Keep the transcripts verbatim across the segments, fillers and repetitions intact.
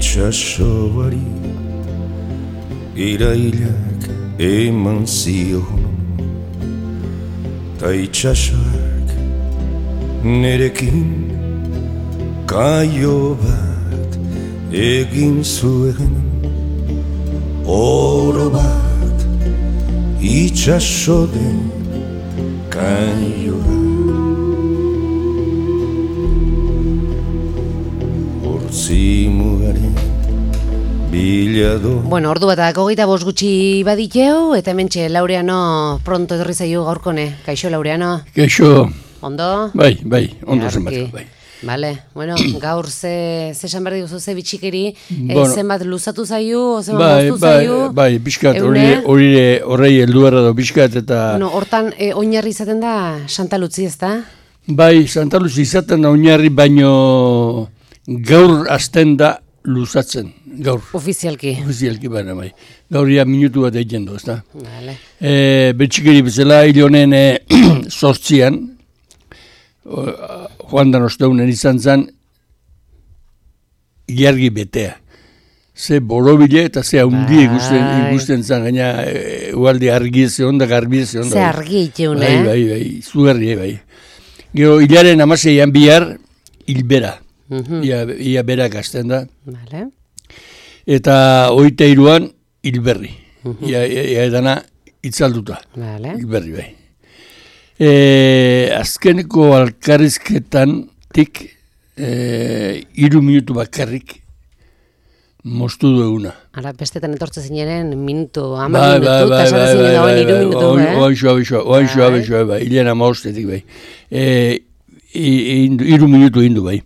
itxasoari irailak eman zion, ta itxasoak nerekin kaio bat egin zuen, oro bat itxaso den kaio bat. Hortzi mugaren bilado. Bueno, ordu bat hogeita bost gutxi baditeu, eta hementxe Laureano pronto etorri zaio gaurkone. Kaixo, Laureano? Kaixo. Ondo? Bai, bai, ondo zenbat, bai. Vale, bueno, gaur ze, ze esan behar diguzu ze bitxikeri, bueno, e, zenbat luzatu zaiu, zenbat bai, moztu zaiu? Bai, bai, bizkat, horrei helduarra da bizkat, eta... Bueno, hortan, e, oinarri izaten da Santa Luzi, ez da? Bai, Santa Luzi izaten da oinarri, baino gaur azten da luzatzen, gaur. Ofizialki. Ofizialki, baina, bai. Gaur ia minutu bat egin du, ez da? Vale. E, bitxikeri bezala, hil honen e, sortzian, joan dan osteunen izan zen ilargi betea. Ze borobile eta ze haundi ikusten, ikusten zen, gaina ualde argi ez egon da, garbi ez egon da. Ze argi iteun, eh? Bai, bai, bai, zugarri, bai. Gero, hilaren amaseian bihar, hilbera. Uh-huh. Ia, ia berak azten da. Vale. Eta oita iruan, hilberri. Uh-huh. Ia, ia, ia edana itzalduta. Vale. Hilberri, bai. E, azkeneko alkarrizketan tik e, iru minutu bakarrik moztu dueguna. Ara, bestetan etortze zineren minutu, ama minutu, eta esatzen zinen dagoen iru minutu, eh? Oaixo, oaixo, oaixo, oaixo, bai, hilen ama ostetik, bai. E, iru minutu hindu, bai.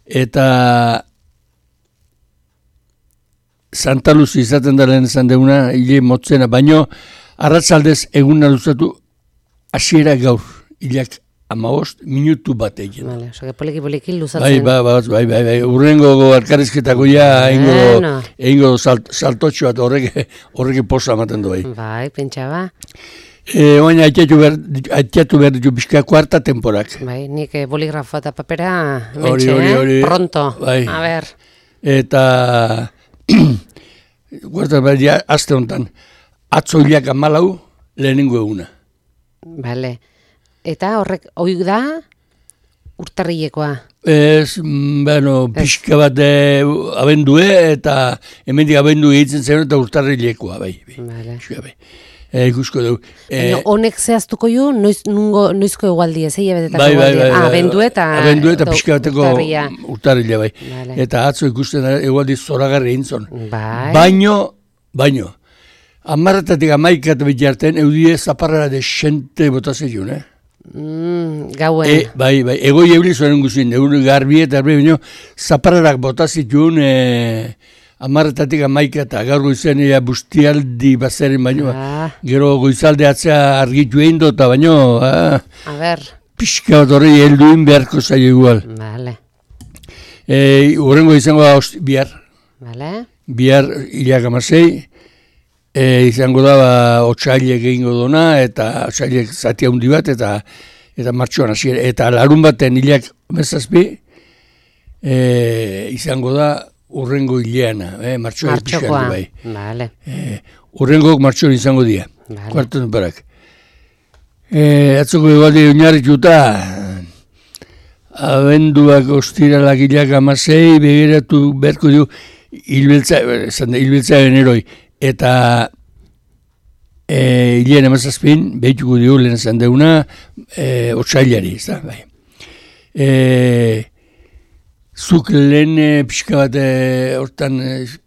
Eta Santa Luzi izaten da lehen esan deuna, hile motzena, baino arratzaldez eguna luzatu hasiera gaur, hilak amabost minutu bat egin. Vale, oso, poliki-poliki luzatzen. Bai, bai, bai, bai, bai, urrengo alkarrizketako ja, egingo, no. egingo salt, saltotxo bat horrek, horrek posa ematen du bai. Bai, pentsa ba. E, Oaina, haitiatu behar, haitiatu behar ditu bizka kuarta temporak. Bai, nik boligrafo eta papera, mentxe, eh? Pronto, bai. A ber. Eta, kuarta behar ja, azte honetan, atzo hilak amalau, lehenengo eguna. Vale. Eta horrek oik da urtarrilekoa? Ez, bueno, pixka bat e, abendue eta hemendik abendu egiten zen eta urtarrilekoa, bai. Vale. bai. E, ikusko dugu. E, honek zehaztuko ju, noiz, nungo, noizko egualdi ez, egia betetako bai, bai, bai, ah, abendu eta, abendu eta pixka bateko urtarrilea, bai. Vale. Eta atzo ikusten egualdi zoragarri egin zon. Bai. Baino, baino. Amarretatik amaikat betiarten, eudie zaparrara de xente botazeiun, eh? Mm, gauen. E, bai, bai, egoi euli zuen guzin, egun garbi eta garbi, baina zaparrarak botazitun, e, amarretatik amaikat, gaur goizen ea bustialdi bazeren, baina, ah. Gero goizalde atzea argitu egin dota, baina, ah, a ber. Pixka bat horrei helduin beharko zaio igual. Vale. E, Horrengo izango da bihar. Vale. Bihar hilak amasei, E, izango da, ba, otxailek egingo dona, eta otxailek zati handi bat, eta eta martxoan hasi, eta larun baten hilak mezazpi, e, izango da urrengo hileana, eh, martxoan pixkan du bai. Vale. E, urrengok martxoan izango dira, vale. Kuartan barak. E, atzoko egualdi oinarrituta, abenduak ostiralak hilak amasei, begiratu beharko du, hilbiltza, hilbiltza generoi. Eta e, hilean emazazpin, behituko dugu lehen esan deuna, e, otxailari, ez da, bai. E, zuk lehen pixka bat, hortan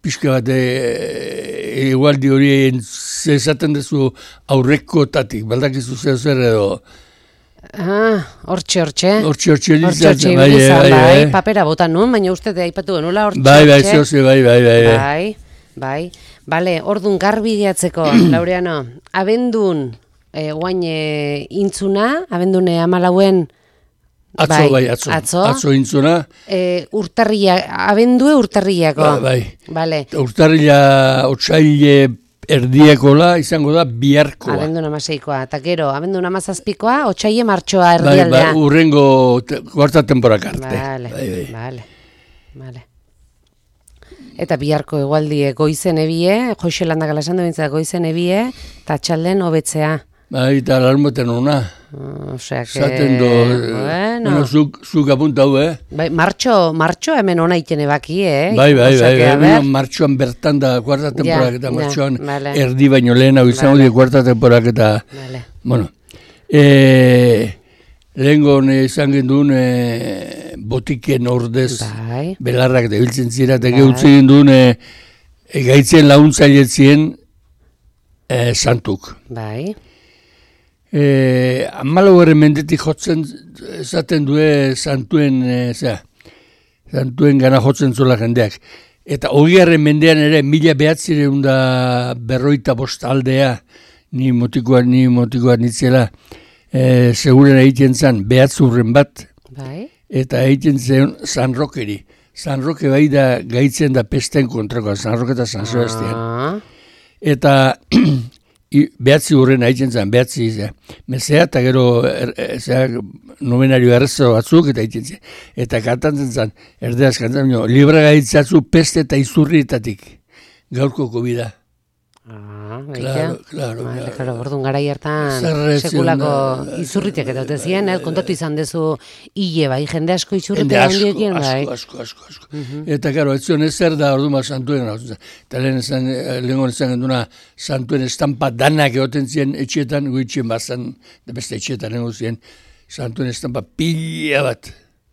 pixka bat, egualdi hori zezaten dezu aurreko tatik, baldakizu zer zer edo. Ah, hortxe, hortxe. Hortxe, hortxe, hortxe, bai, bai, papera botan nun, baina uste de aipatu genula hortxe, bai, bai, zoze, bai, bai, bai, bai, bai. Bale, ordun garbi gehatzeko, Laureano, abendun, e, guain e, intzuna, abendune amalauen... Atzo, bai, bai atzo, atzo, atzo intzuna. E, urtarria, abendue urtarriako. Ba, bai, vale. Urtarria otxaile erdiekola izango da biharkoa. Abendun amaseikoa, eta gero, abendun amazazpikoa, otxaile martxoa erdialdea. Bai, bai, urrengo te, kuarta temporak arte. Vale, bai, bai. vale, vale. eta biharko egualdie goizen ebie, Joixelanda galasan duentzat goizen ebie, eta txalden hobetzea. Bai, eta larmoten ona. Uh, Osea, que... Zaten do, bueno. bueno, zuk, zuk apuntau, eh? Bai, martxo, martxo hemen ona itene baki, eh? Bai, bai, Osea, bai, que, a bai, ver. martxoan bertan da, kuarta temporak eta ja, martxoan vale. erdi baino lehen hau izango Vale. die kuarta temporak eta, Vale. bueno, e, lehengo izan gendun e, botiken ordez Bai. belarrak debiltzen zira, eta Bai. geutzi gendun e, e, gaitzen laguntzailetzien e, santuk. Bai. E, Amalo horren mendetik jotzen esaten due santuen, e, zera, santuen gana jotzen zula jendeak. Eta hogiarren mendean ere mila behatzireun da berroita bost aldea, ni motikoa, ni motikoa nitzela, e, seguren egiten zen behatzurren bat, Bai. eta egiten zen San Rokeri. San Roke bai da gaitzen da pesten kontrakoa, San Roke eta San Sebastian. Ah. Eta I, behatzi hurren haitzen zen, behatzi zea. Mezea eta gero er, er, zea, novenario errezo batzuk eta haitzen zen. Eta kantantzen zen, erdeaz kantantzen zen, libra gaitzatzu peste eta izurrietatik. Gaurko kobida. Ah, Claro, claro, Vale, claro. claro, orduan garai hartan Zerretzen, sekulako da- izurritek eta ote ziren, eh? Kontatu izan dezu hile bai, jende asko Jende izurrite asko, handiekin, bai. asko, asko, asko, asko. Eta, karo, ez zion ezer da orduma santuen. Eta lehen esan, lehen esan genduna santuen estampa danak egoten ziren etxetan, guitxen bazan, da beste etxetan egon ziren, santuen estampa pila bat.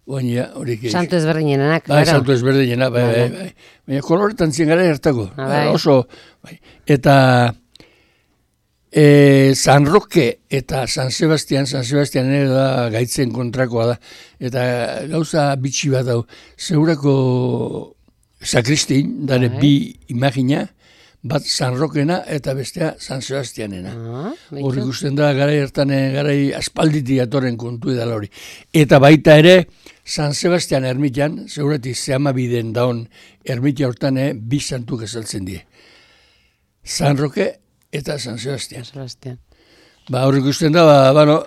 Baina horik egin. Santu ezberdinenak, Bai, claro. santu ezberdinena, bai, bai, bai. Baina koloretan zien gara hartako. Ah, bai. Oso, bai. Eta e, San Roque eta San Sebastian, San Sebastian ere da gaitzen kontrakoa da. Eta gauza bitxi bat dau. Segurako sakristin, dare Bai. bi imagina, bat San Roquena eta bestea San Sebastianena. Ah, Hor beitu. ikusten da, garai hartan, eh, garai aspalditi atorren kontu edala hori. Eta baita ere, San Sebastian ermitian, seguratik zehama biden daun ermitia hortan, eh, bi santuk esaltzen die. San Roque eta San Sebastian. Sebastian. Ba, hor ikusten da, ba, bueno,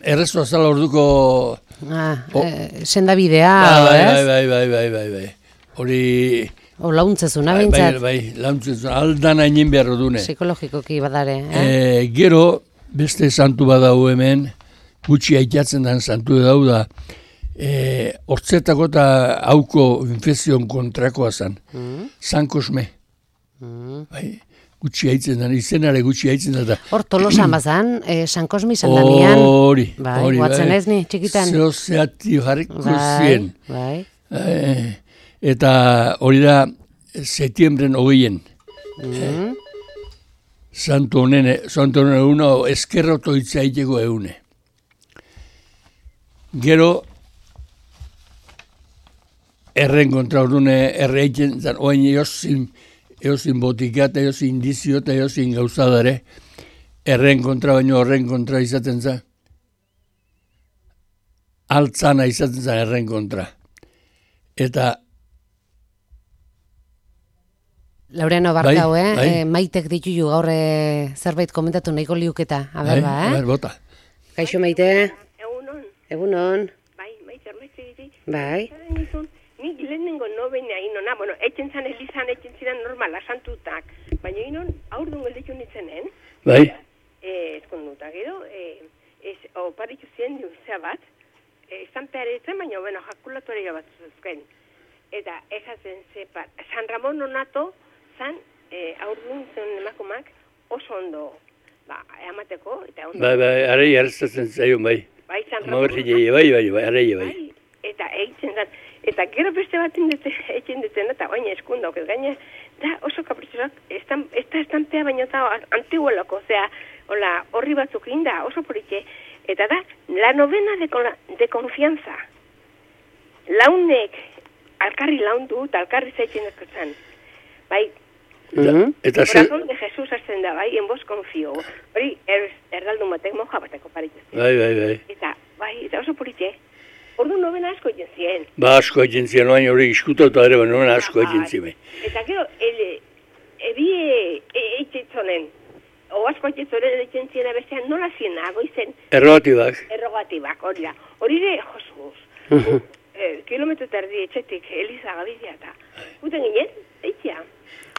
errezo azala orduko... Ah, O- eh, senda bidea, Ah, bai, ez? bai, bai, bai, bai, bai, bai. Hori... O launtzezuna Bai, bai, bintzat, bai, launtzen zuen, aldan hainin behar dune. psikologikoki badare, eh? E, gero, beste santu badau hemen, gutxi aitatzen den santu dau da, e, hortzetako eta hauko infekzion kontrakoa zen. Mm, San Kosme, mm. bai, gutxi aitzen den, izenare gutxi aitzen da. Hor tolosan bazan, eh, San Kosmi izan danian. Hori, Bai, hori, guatzen ez ni, txikitan. Zeo zeati jarriko Bai, zien. bai. E, eta hori da, setiembren hogeien. Mm. Santo honen, santo honen eguna, eskerroto itzaiteko egune. Gero, erren kontra ordune, erre egiten, zan, oain eozin, eozin botika eta eozin indizio eta eozin gauzadare, erren kontra baino horren kontra izaten za. Altzana izaten za erren kontra. Eta Laureano Bai, barkau, eh? bai. Eh, maitek dituju gaur eh, zerbait komentatu nahiko liuketa. A ber, ba, a eh? ber, bota. Kaixo maite, Egunon, egunon, bai, maite armaitze diti. bai. Zaren izun, nik lehenengo nobena inona, bueno, etxen zan elizan, etxen ziren normala, santutak. Baina inon, aurdun gelditu nintzenen, Bai, eh, ezkonduta, gero, eh, ez, oparitu ziren duzea bat, eh, estampearetzen, baina, bueno, jakulatoria bat zuzken. Eta esaten zepa, San Ramon onato, zan, eh, aurdun zen emakumak, oso ondo, ba, eamateko, eta ondo. bai, bai, arei arrestatzen zaion, bai. Bai, San Ramon. Magarri bai, bai, bai, arei, bai. Bai, eta eitzen da, eta gero beste bat eitzen duten, eta baina eskunda, okez gaina, da oso kapritxoak, ez da estampea baina eta antiguelako, osea, hola, horri batzuk inda, oso politxe, eta da, la novena de, con, de confianza. Launek, alkarri laundu, eta alkarri zaitzen ezkotzan. Bai, Mhm. Eta ze, corazón de Jesús azten da, bai, en vos confío. Hori, er, erdaldun batek moja bateko parituz. bai, bai, bai. Eta, bai, eta oso politxe. Ordu novena asko egin ziren. Ba, asko egin ziren, oain hori iskutauta ere, baina noen asko egin ziren. Eta gero, ele, ebie eitzetzonen, o asko eitzetzonen eitzen ziren bestean, nola ziena, goizen, Errogatibak. errogatibak, hori da. Hori de, josuz, eh, kilometro terdi etxetik, Eliza Gabizia eta, guten ginen, maitia.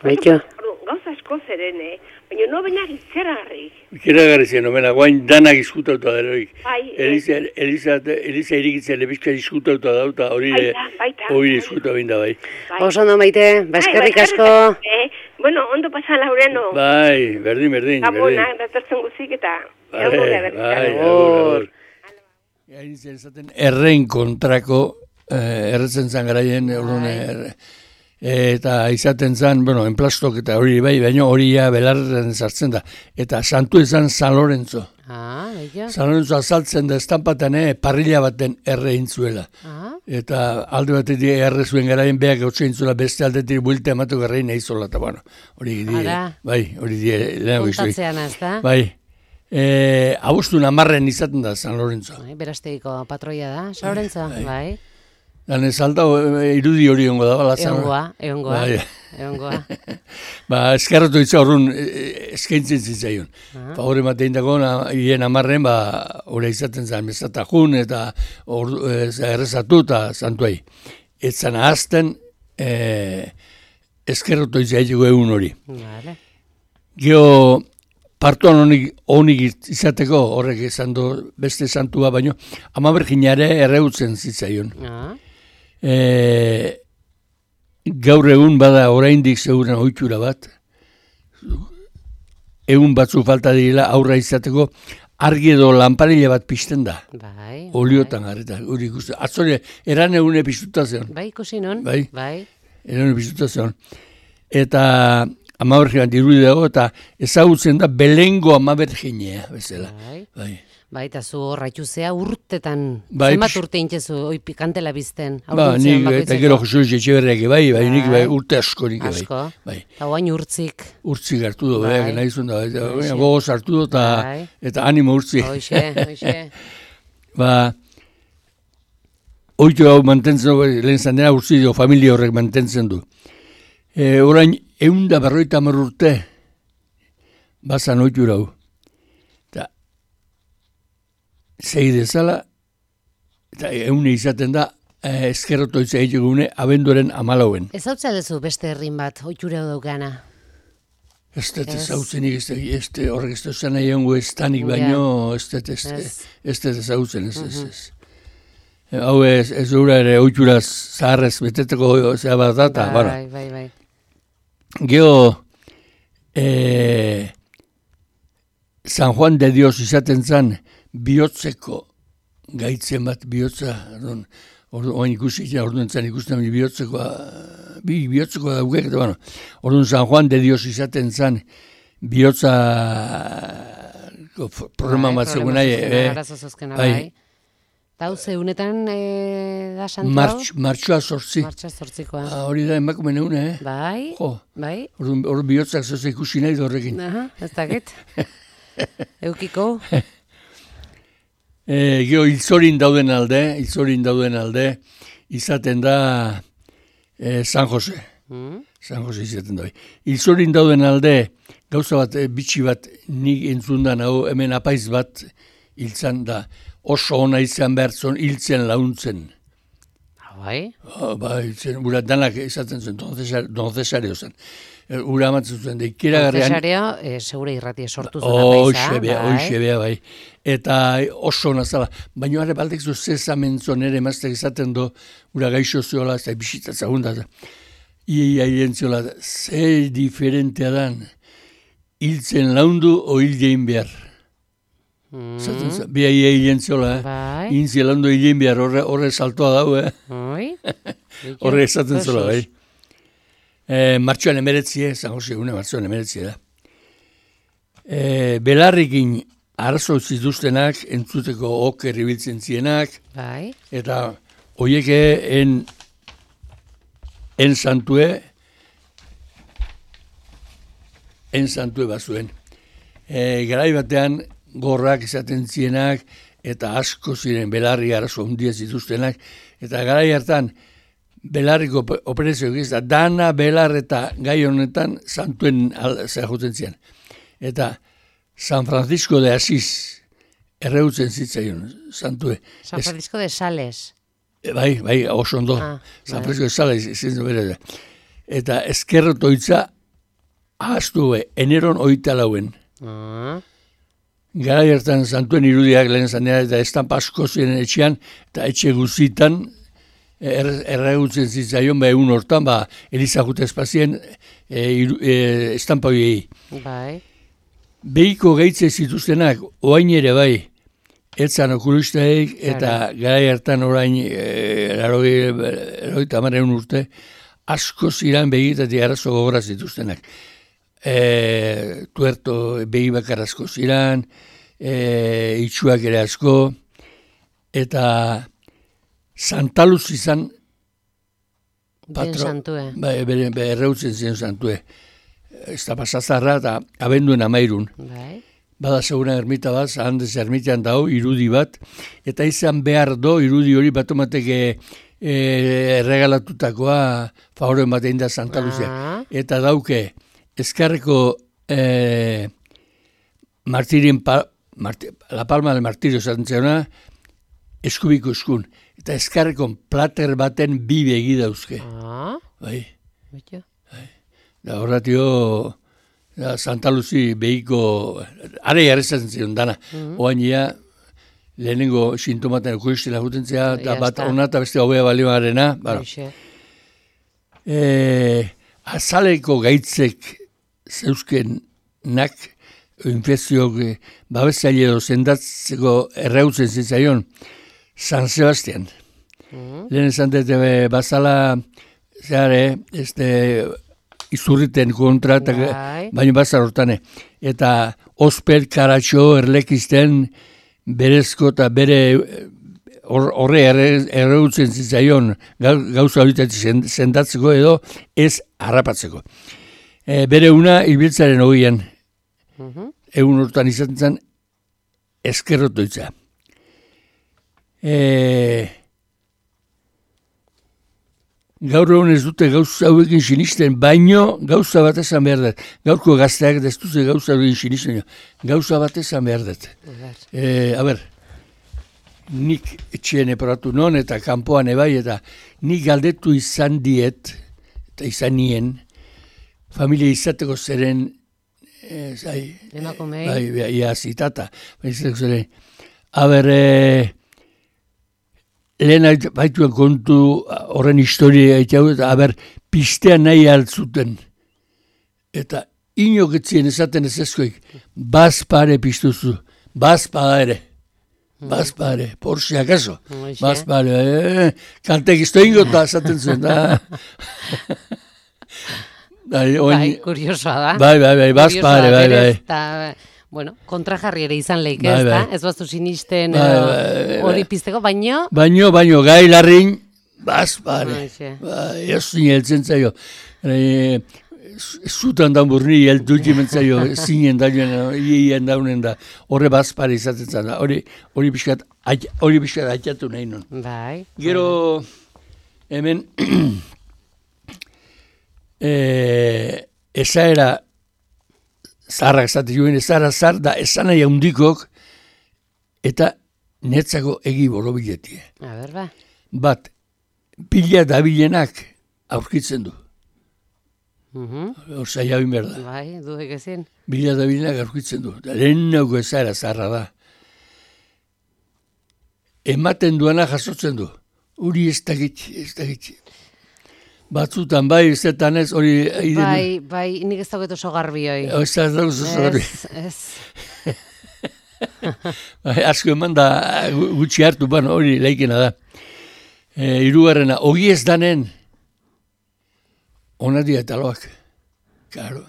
Baitu. Gauza asko zeren, eh? Baina no benak itzeragarrik. Ikeragarri zen, omena, guain danak izkutauta deroik. Bai, Eliza, Eliza, Eliza irikitzen lebizka izkutauta dauta, hori Baita, baita. hori izkuta binda, bai. Bai. Oso ondo maite, baskerrik Bai, asko. Eh? Bueno, ondo pasa Laureano. Bai, berdin, berdin, berdin. Gabonak, datortzen guzik eta... Bai, egongo bai, gara berrizan. agur, agur. Eliza esaten errein kontrako, eh, erretzen zan garaien, orduan, er, eta izaten zan, bueno, enplastok eta hori bai, baina hori ja belarren sartzen da. Eta santu izan San Lorenzo. Ah, baitu. San Lorenzo azaltzen da estampaten, eh, parrilla baten erre intzuela. Ah, Eta alde batetik erre zuen garaien beak gautxe intzula, beste aldetik buelta ematu garrain eizola, eta bueno, hori die, Ara. bai, hori die, lehenago izuri. kontatzean ez da? Bai, e, abostun amarren izaten da San Lorenzo. Bai, berastegiko patroia da, Saurentza, bai. Dan ez alta e, irudi hori ongo da, bala San Egongoa, egongoa, Bai. egongoa. Ba, eskerratu itza horren eskaintzen zitzaion. Ah. Favore matein dago, hien amarren, ba, hori izaten zen, mezatajun, eta ordu, e, errezatu eta santuai. Etzan ahazten, e, eskerratu itza egiko egun hori. Vale. Geo, partuan honik, honik izateko, horrek esan du beste santua, baino, ama berginare erreutzen zitzaion. Ah, E, gaur egun bada oraindik zeuren ohitura bat, egun batzu falta direla aurra izateko, argi edo lanparilla bat pizten da, bai. oliotan garreta, hori ikusten. Atzore, eran egune piztuta zeon, Bai, ikusi non? Bai. Bai. eran piztuta zeon. Eta amabergian dirudi dago, eta ezagutzen da belengo amaberginea, bezala. Bai. Bai. Bai, eta zu horraitu zea urtetan, Bai, zenbat pix- urte intzezu, oi pikantela bizten, Ba, haurduntzean nik, eta gero Jesus Etxeberriak bai, bai, nik bai, Bai. urte asko nik bai. Asko. Bai. Eta guain urtzik, Urtzik hartu du, Bai. bai, nahi zuen da, eta Hoxe. gogoz hartu du, eta, Bai. eta animo urtzik. hoxe, hoxe. Ba, oitu hau mantentzen du, lehen zanera urtzi dio, familia horrek mantentzen du. E, orain, eunda berroita hamar urte, bazan oitu hau. Eta, zei dezala, eta eune izaten da, eh, eskerroto izan egune, abenduaren amalauen. Ez hau dezu beste herrin bat, oitura daukana. Ez dut Ez. ezautzen, ez dut horrek ez dut zan nahi ongo ez tanik baino, ez dut ez Ez. ez dut ezautzen, ez ez ez. E, Hau ez, ez dura ere oituraz zaharrez beteteko zea bat data, Bai, bara. bai, bai. Geo, e, San Juan de Dios izaten zan, bihotzeko gaitzen bat bihotza, orduan, orduan oain ikusi, ja, orduan zan ikusten bihotzekoa, bi bihotzekoa daukek, eta bueno, orduan San Juan de Dios izaten zan, bihotza problema Bai, bat zegoen problema nahi, zuzkena, eh, arazo zuzkena, bai. bai. Eta hau zeunetan e, da santu hau? martx, martxoa sortzi. Martxa zortzikoa. Ah, hori da emakume neune, eh? Bai, Jo, bai. orduan hor bihotzak zoze ikusi nahi da horrekin. Aha, ez dakit. Eukiko. E, gero, hilzorin dauden alde, hilzorin dauden alde, izaten da e, San Jose. Mm? San Jose izaten da. Hilzorin dauden alde, gauza bat, e, bitxi bat, nik entzundan hau, hemen apaiz bat hiltzan da, oso ona izan behar zon, hiltzen launtzen. Bai, Oh, ba, hiltzen, ura danak izaten zuen, Don Cesar, Don Cesario zen. E, ura amatzen zuen, da ikeragarrean, Cesario, e, segure irratie sortu zuen apaiza. Hoxe bea, hoxe bea, bai. Eta oso nazala. Baina are baldek zu zezamentzon ere emaztek izaten do, ura gaixo ziola, eta bisitatza hunda. Iei aien ziola, ze diferentea dan, hiltzen laundu o hildein behar. Zaten za, bea iei aien ziola, eh? Bai. Inzi laundu hildein behar, horre, horre saltoa dau, eh? Oi. Horre esaten zola, bai. E, martxoan emeretzie, San Jose egune martxoan emeretzie da. E, belarrikin arazo zituztenak, entzuteko oker ibiltzen zienak, Bai. eta hoieke en, en santue, en santue bazuen. E, garai batean gorrak izaten zienak, eta asko ziren belarri arazo handia zituztenak, eta garai hartan belarriko operazioak ez da, dana belar eta gai honetan santuen zehajuten zian. Eta San Francisco de Asís erreutzen zitzaion, santue. San Francisco de Sales. E, bai, bai, oso ondo. Ah, San bai. Francisco de Sales, ezin du bere da. eta ezkerrotoitza ahaztu be, eneron oita lauen. Ah. Gara hartan santuen irudiak lehen zanera, eta estampa asko ziren etxean, eta etxe guzitan, er, erregutzen zitzaion, ba egun hortan, ba, Elizagute espazien e, e, estampa horiei. Bai. Behiko gehitze zituztenak, oain ere bai, etzan okulustaik, eta gara hartan orain, eroi tamaren urte, asko ziren behitatik arazo gogora zituztenak. E, tuerto behi bakar asko ziren, e, itxuak ere asko, eta Santaluz izan patro, santue. Ba, bere, bere erreutzen ziren santue. Ez da pasazarra eta abenduen amairun. Bai. Bada segura ermita bat, handez ermitean dago, irudi bat, eta izan behar do, irudi hori batomateke e, erregalatutakoa favoren batein da Santaluzia. Ah. Eta dauke, Ezkarreko eh, martirin pa, marti, La Palma del Martirio zaten zeuna, eskubiko eskun. Eta Ezkarreko plater baten bi begi dauzke. Ah. Bai. Bitio. Bai. Da horratio, da Santaluzi behiko, are jarrezatzen zion dana. Mm-hmm. Oain ia, lehenengo sintomaten ekuristela jutentzea, eta bat ona eta beste hobea balioarena. Eh, azaleko gaitzek zeuzkenak infekzioak babeszaile edo zendatzeko erreutzen zitzaion San Sebastian. Mm-hmm. Lehen esan dut bazala zeare, este, izurriten kontra, baina bazar hortane. Eta ospel, karatxo, erlekizten berezko eta bere horre erreutzen zitzaion gauza horitatik zendatzeko edo ez harrapatzeko. E, bere una ibiltzaren hogeian, uh-huh. egun hortan izaten zen ezkerrotoitza. E, gaur egun ez dute gauza hauekin sinisten, baino gauza bat esan behar dut. Gaurko gazteak destuze gauza hauekin sinisten, gauza bat esan behar dut. E, a ber, nik etxeen eporatu non eta kanpoan ebai, eta nik galdetu izan diet, eta izan nien, familia izateko zeren, e, zai, emakumei, bai, bai, ia zitata, izateko zeren, aber, e, lehen baituen kontu horren historia egiteu, eta aber, pistea nahi altzuten, eta inoketzien esaten ez ezkoik, bazpare piztuzu, bazpada ere, bazpare, por si acaso, bazpare, eh, kantek izto ingota esaten zuen, da. Bai, bai, kuriosoa da. Bai, bai, bai, bazpare, bai, bai. Eta, bueno, kontrajarri ere izan leik, ez da? Ez baztu sinisten hori pizteko, baino? Baino, baino, gai larrin, bazpare. Bai, ez zineltzen zaio. Zutan dan burni, elduti mentzaio, zinen dauen, ien daunen da, horre bazpare izaten zan da. Hori pixkat, hori pixkat haitatu nahi non. Bai. Gero, hemen, Eh, esaera zaharrak zati joen, esaera zahar da esan nahi handikok eta netzako egi borobiletie. A ber, ba. Bat, pila dabilenak aurkitzen du. Uh-huh. Orsa jabin behar da. Bai, duek ezin. Pila dabilenak aurkitzen du. Lehen nago esaera zaharra da. Ematen duana jasotzen du. Uri ez dakit, ez dakit. Batzutan, bai, zetan ez, hori... Bai, bai, nik ez dagoet oso garbi hoi. Ez da oso garbi. Ez, bai, asko eman da gutxi hartu, bueno, hori leikena da. E, Hirugarrena, ogi ez danen, ona dira taloak. Claro.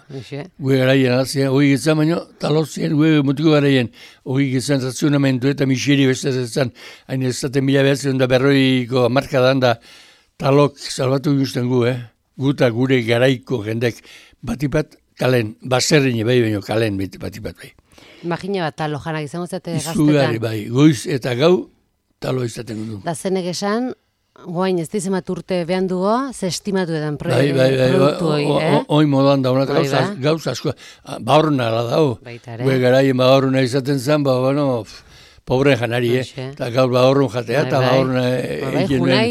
Gue garaien alazien, ogi getzan baino, talozien, gue mutiko garaien, ogi getzan ratzionamentu eta miseri beste zetzan, hain ez zaten mila behatzen da berroiko markadan da, talok salbatu guztien gu, eh? Guta gure garaiko jendek batipat kalen, baserrin bai baino kalen batipat bai. Imagina bat talo janak izango zate gaztetan. Izugarri bai, goiz eta gau talo izaten du. Da zenek esan, guain ez dizemat urte behan dugu, ze estimatu edan pro bai, bai, bai, produktu hoi, eh? Hoi modan da, honak gauza, gauza asko, baurna ala dau. Gue garaien baurna izaten zen, ba, bueno, pobre janari, eh? Eta gaur baurrun jatea, eta baurna egin nuen. Junai,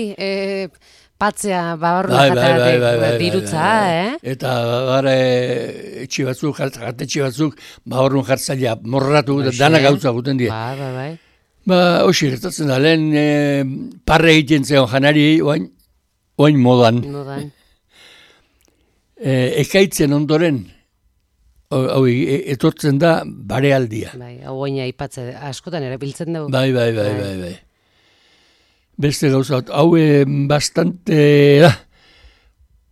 aipatzea babarruna Bai, bai, bai, jateatek bai, bai, dirutza, bai, bai. eh? Eta bare etxe batzuk, jatetxe batzuk, babarrun jartzailea morratu, eta Hoxe. dana gauza guten die. Bai, bai, bai. Ba, hoxe, gertatzen da, lehen e, parre egiten zeon janari, oain, oain modan. Modan. E, ekaitzen ondoren, hau e, etortzen da barealdia. Bai, hau oina aipatze askotan erabiltzen dugu. Bai, bai, bai, bai, bai. Beste gauza bat, hau e, bastante da.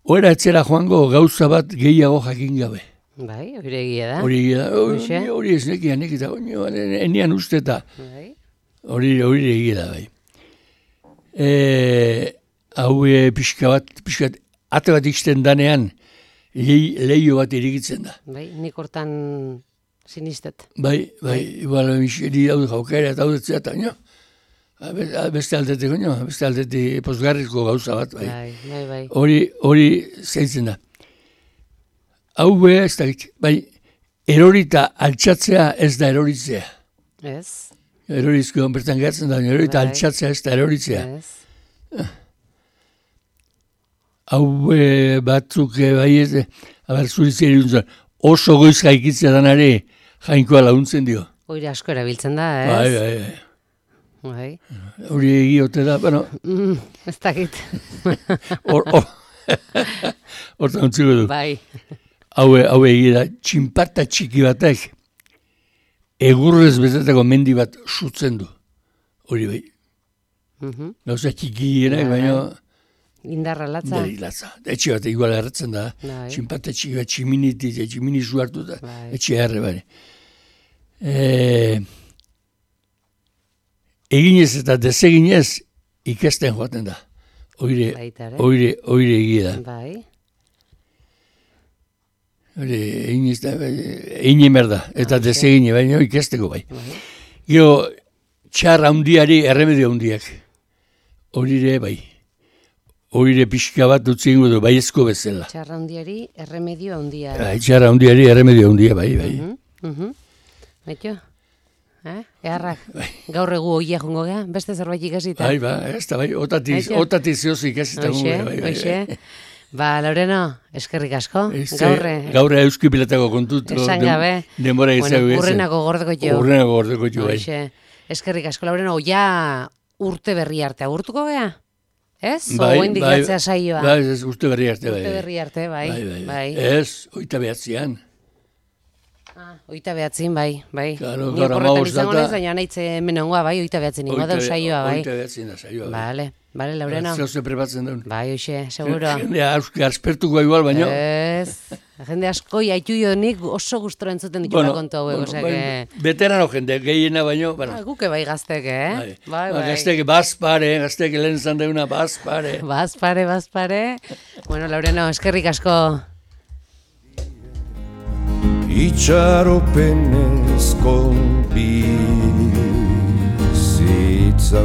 Oera etzera joango gauza bat gehiago jakin gabe. Bai, hori egia da. Hori egia da, Hoxe. hori- hori ez nekian, nekita, enian uste eta Bai. hori hori egia da, bai. E, hau e, pixka bat, pixka bat, ate bat ixten danean, lei, leio bat irigitzen da. Bai, nik hortan sinistet. Bai, bai, igual, miseri daude jaukera eta daudetzea, eta nio, beste aldetik, nio, beste aldetik posgarrizko gauza bat, bai. Bai, bai, bai. Hori, hori zeintzen da. Hau be, ez da, bai, erorita altxatzea ez da eroritzea. Ez? Erorizko bertan gertzen da, erorita Bai. altxatzea ez da eroritzea. Ez? Hau e, batzuk e, bai ez, e, aber zuritzea iruntzen, oso goiz jaikitzea danare jainkoa laguntzen dio. Hori asko erabiltzen da, ez? Bai, bai, bai. Bai. Hori egiote da, bueno, Mm, ez dakit. hor, hor, hortan utziko du. Bai. Hau, hau egia da, txinparta txiki batek egurrez betetako mendi bat sutzen du. Hori bai. Mhm. Gauza txikienak, Bai. baina Indarra latza. Beri latza. Etxe bat igual erretzen da. Bai. Txinparte txiki bat tximinitik, tximini zu hartu da. Bai. Etxe erre, bari. E, eginez eta deseginez ikesten joaten da. Oire, Baita ere. oire, oire egia da. Bai. Hori, eginez da, egin emer da. Eta desegine, baina ikesteko bai. Bai. Gero, txar handiari erremedio handiak. Horire bai. Horire pixka bat utzi ingo du, baiezko bezala. Txarra handiari erremedio handia. Bai, txar handiari erremedio handia, bai, bai. Mhm, mhm. Baito? Eh? Eharrak, gaur egu hoia jongo gea, beste zerbait ikasita. Bai, ba, ez da, bai, otatiz, Aitio? otatiz zehoz ikasita Hoxe, gungo, bai, bai. hoxe. Ba, Laureno, eskerrik asko. Ez, Gaurre, Gaurre euski pilatako kontutu. esan gabe. Denbora Bueno, izago ez. urrenako gordeko jo. Urrenako gordeko jo, bai. Hoxe. Eskerrik asko, Laureno, ja urte berri arte agurtuko gea? Ez? Bai, O hendik bai, jatzea saioa? Bai, ez, urte berri arte, bai. Urte berri arte, bai. Bai, bai, bai. Ez, oita behatzean. Ah, oita behatzin, bai, bai. Claro, Ni gaur oporretan hamabost izango data. naiz, baina naitze menongoa, bai, oita behatzin ingo dau saioa, bai. Oita behatzen da saioa, bai. Vale, vale, Laureno. Zeu ze prepatzen daun. Bai, hoxe, seguro. Jendea auski aspertuko igual, baina. Ez, jende asko jaitu jo nik oso gustora entzuten ditula kontu hauek, osea bai, que... veterano jende, gehiena baino, bueno. Ah, guke bai gaztek, eh? Bai, Bai, Ba, bai. Gaztek bazpare, gaztek lehen zan deuna bazpare. Bazpare, bazpare. Bueno, Laureno, eskerrik asko. Itxaropenez konbizitza